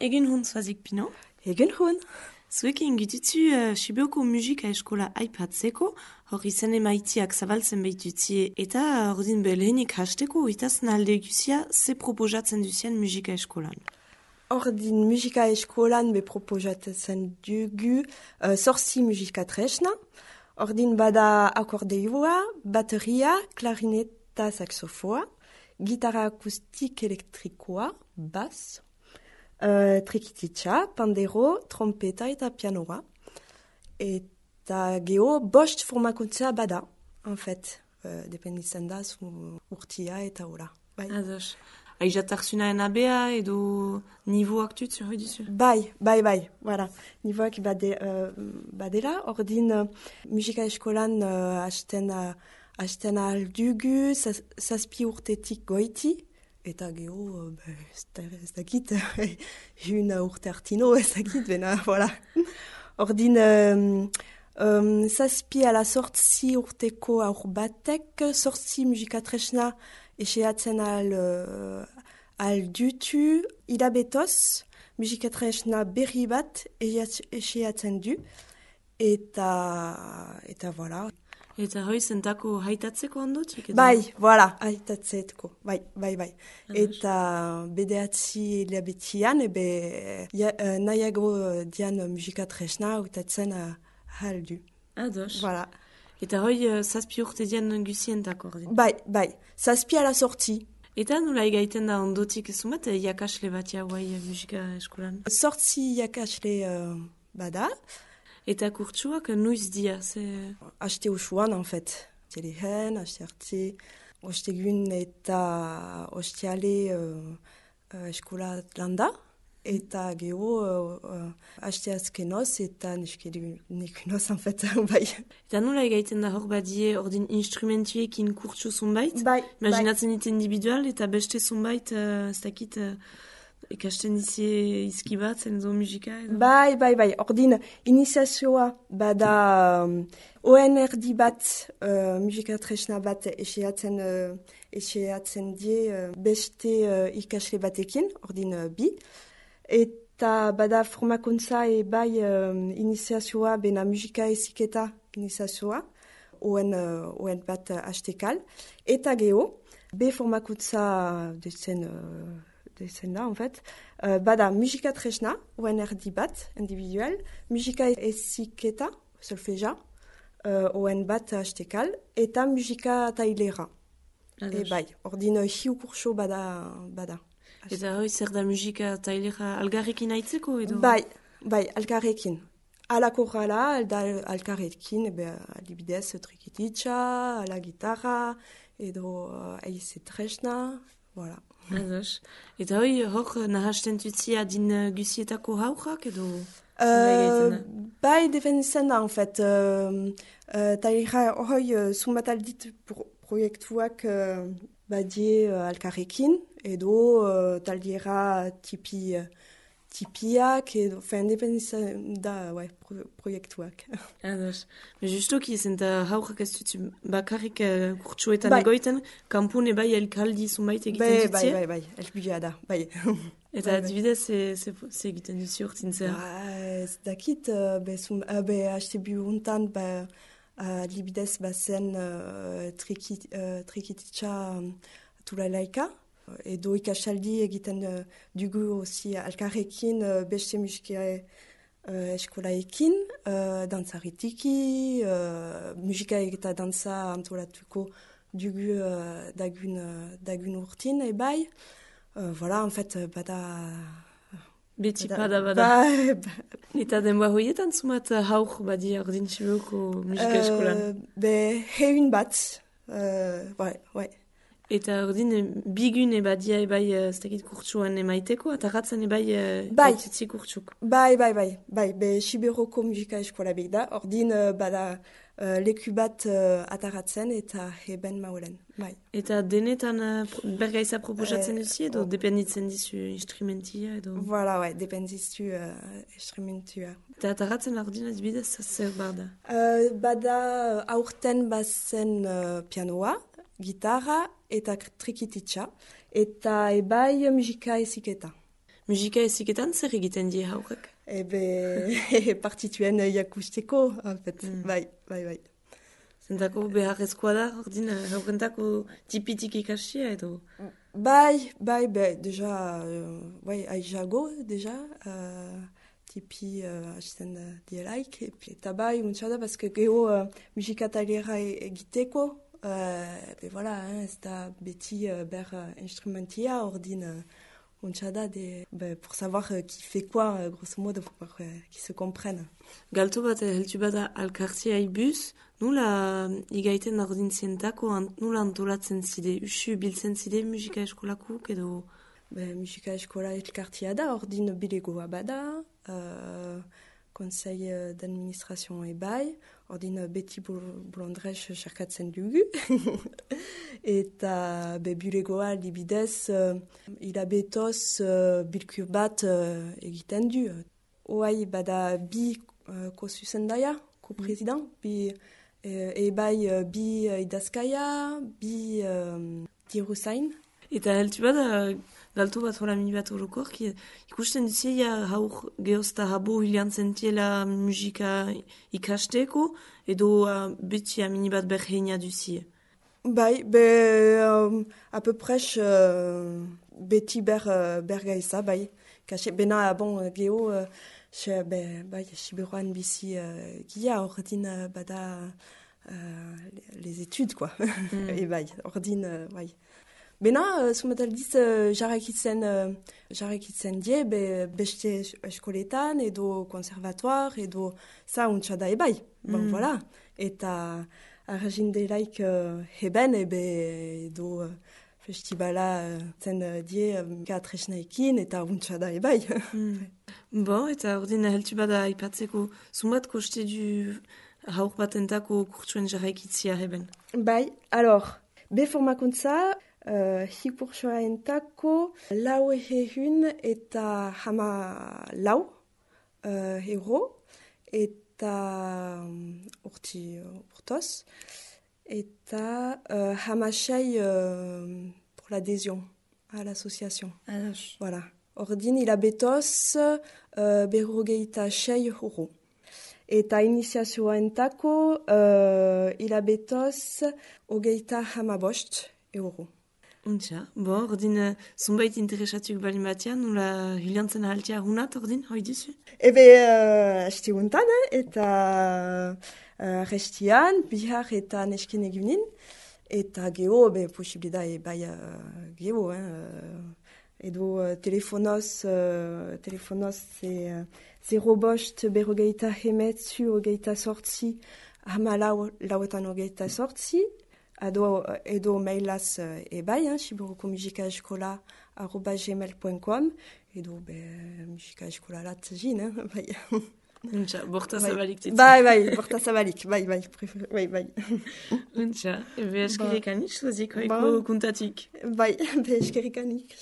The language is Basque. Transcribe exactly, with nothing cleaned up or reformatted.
Egun hon zoazik pino? Egun hon. Zuekin gitutzu uh, Sibioko musika eskola aipatzeko, hor izan emaitiak zabaltzen behitutzie, eta ordin belehenik hasteko, itaz nalde guzia, ze proposatzen duzien musika eskolan? Ordin musika eskolan be proposatzen dugu uh, sorsi musika tresna, ordin bada akordeoa, bateria, klarineta saxofoa, gitarra akustik elektrikoa, bass, Uh, trikititxa, pandero, trompeta eta pianoa. Eta geho, bost formakuntza bada, en fait. Uh, dependitzen da, zu urtia eta hola. Bai. Ados. Aizatarzunaen abea edo nivoak dut, hori dizu? Bai, bai, bai, voilà. Nivoak bade, uh, badela, ordin uh, musika eskolan uh, hasten uh, hasten aldugu, zazpi urtetik goiti, eta geho, uh, ez dakit, un urte artino, ez dakit, bena, voilà. Ordin, um, um, zazpi ala sortzi urteko aur batek, sortzi musika tresna eseatzen al, uh, al dutu, hilabetoz, musika tresna berri bat eseatzen du, eta, eta voilà. Eta hoi zentako haitatzeko handotik? Bai, voilà, haitatzeko, bai, bai, bai. Eta bedeatzi hilabetian, ebe ja, uh, nahiago dian musika tresna hautatzen uh, haldu. Ados. Voilà. Eta hoi uh, zazpi urte dian guzientako ordin? Bai, bai, zazpi ala sorti. Eta nola egaiten da ondotik zumat, jakasle bat jauai musika eskolan? Sortzi jakasle uh, bada. Eta kurtsuak nuiz dia? Ze... Aste usuan, en fait. Telehen, aste arti, ostegun eta ostiale uh, uh, eskola landa. Eta geho, uh, uh, aste azkenoz eta nekunoz, en fait, bai. Eta nola egaiten da hor badie ordin instrumentuekin kurtsu zunbait? Bai, imaginatzen dit individual eta beste zunbait, uh, ez dakit... Uh, ikasten dizie izki bat, zen zo musika edo? Bai, bai, bai. Ordin, iniziazioa bada um, O N R D bat, uh, musika tresna bat eseatzen, uh, eseatzen die uh, beste uh, ikasle batekin, ordin uh, bi. Eta bada formakuntza e bai um, iniziazioa bena musika eziketa iniziazioa, O N, uh, O N bat uh, hastekal. Eta geho, be formakuntza dezen... Uh, zen da, en fait. Uh, bada musika tresna, O N R D bat, individual, musika eziketa, solfeja, uh, O N bat hastekal, eta musika tailera. E bai, ordin hiu kurso bada. bada. Eta hoi zer da musika tailera algarrekin haitzeko edo? Bai, bai, algarrekin. Ala korrala, alda algarrekin, ebe, adibidez, trikititxa, ala gitarra, edo uh, eize tresna, voilà. Ados. Eta hoi, hor nahasten tutzia din uh, gusietako haujak edo? Uh, bai, defenditzen da, en fait. Uh, uh, Tailera hoi, uh, zumbat aldit pro proiektuak uh, badie uh, alkarrekin, edo uh, taldiera tipi, uh, tipiak, edo,fen, defenditzen da, ouais, pro proiektuak. Ados. Me justoki, zenta haujak ez dutzu bakarrik uh, kurtsuetan bai. Egoiten, kampune bai elkaldi zunbait egiten dutzie? Bai, bai, bai, elbuia da, bai. Eta adibidez, ze egiten duzi urtin zer? Ez dakit, uh, be, uh, be haste bihuntan, ba, uh, adibidez bazen uh, trikit, uh, trikititxa um, tulalaika, edo ikasaldi egiten uh, dugu osi alkarrekin uh, beste musika uh, eskolaekin, uh, dantzaritiki, uh, musika eta dantza antolatuko dugu uh, dagun, uh, dagun urtin, ebai. Uh, voilà, en fait, bada... Beti bada, bada. Ba, ba. Eta denboa hoietan zumat hauk badi ordin Sibioko musika eskolan? Uh, be, heun bat. Uh, ouais, ouais. Eta ordin bigun ebadia ebai ez dakit kurtsuan emaiteko, eta ratzen ebai bai. Baitutzi kurtsuk? Bai, bai, bai. Bai, be, Sibioko musika eskola bek da. Ordin uh, bada uh, leku bat uh, ataratzen eta heben maulen. Bai. Eta denetan uh, bergaiza proposatzen uh, duzi edo oh. Dependitzen dizu instrumentia edo? Voilà, ouais, dependizu uh, instrumentua. Eta ataratzen ordin adibidez zer bada? Uh, bada aurten bazen uh, pianoa, gitarra eta trikititxa, eta ebai musika eziketa. musika eziketan zer egiten die haurek? Ebe, partituen jakusteko, en fait, mm. bai, bai, bai. Zentako beharrezkoa da, ordin, haurentako tipitik ikastia edo? Bai, bai, bai, deja, uh, bai, aizago, deja, uh, tipi hasten uh, dielaik, eta bai, untsa da, bazke geho uh, musika talera egiteko, uh, be voilà, hein, ez da beti uh, ber uh, instrumentia, ordin, uh, Unchada de, bah, pour savoir euh, qui fait quoi, euh, grosso modo, pour euh, qu'ils se comprennent. Galto bat, heltu bada alkartia ibuz, nula igaiten ordin zientako, nula antolatzen zide, usu biltzen zide musika eskolakuk edo? Bah, musika eskola elkartia da, ordin bilegoa bada, euh, conseil d'administration ebai, ordin beti bolondrez xerkatzen dugu. Eta be bulegoa libidez uh, hilabetoz uh, bilkur bat uh, egiten du. Oai bada bi uh, ko-zuzendaia, ko-president, bi uh, ebai uh, bi uh, idazkaia, bi um, diruzain. Eta heltu bada, galtu bat hola mini bat horokor, ikusten duzia haur gehozta habo hilean zentiela musika ikasteko, edo uh, beti mini bat berheina duzia. Bai, be, um, à peu près, uh, beti ber, uh, bergaisa, bai. Kaxe, bena, bon, geho, uh, xe, be, bai, siberoan bizi uh, gia, ordin, uh, bada, uh, les études, quoi. Mm. Et bai, ordin, uh, bai. Bena, uh, sumataldiz, uh, jarrakitzen, uh, jarrakitzen die, be, beste eskoletan, edo konservatoire, edo, sa, untxada, e bai. Bon, mm. voilà. Eta... Argindelaik uh, heben ebe edo uh, festibala uh, zen uh, die musika uh, tresnaekin eta untxada ebai. Mm. Bon, eta ordin heltu bada aipatzeko, zumbat koste du haur batentako kurtsuen jarraikitzia heben? Bai, alor, be formakuntza, uh, hikurtsua entako lau ehun eta hama lau uh, euro, eta eta urti urtoz, eta uh, hamasei uh, pour l'adhésion à l'association. Ah, voilà. Ordin hilabetoz uh, berrogeita sei euro. Eta iniziazioa entako uh, hilabetoz hogeita hamabost euro. Untxa, bo, ordin, zunbait interesatuk bali batean, nula hilantzen haltia hunat, ordin, hoi dizu? Ebe, uh, asti guntan, eh? Eta uh, restian, bihar eta neskin egunin, eta geho, be, posibilida, e bai uh, geho, eh? Edo uh, telefonoz, uh, telefonoz, ze, uh, zero bost berrogeita hemetzu, hogeita sortzi, hama lau, lauetan hogeita sortzi, Edo, edo mailaz e bai, hein, siberoko musika eskola arroba gmail point com, edo be, musika eskola lat zin, hein, bai. Untxa, borta zabalik titzen. Bai, bai, borta zabalik, bai, bai, bai, bai. Untxa, ebe eskerikanik, sozik, hoiko kuntatik. Bai, be eskerikanik.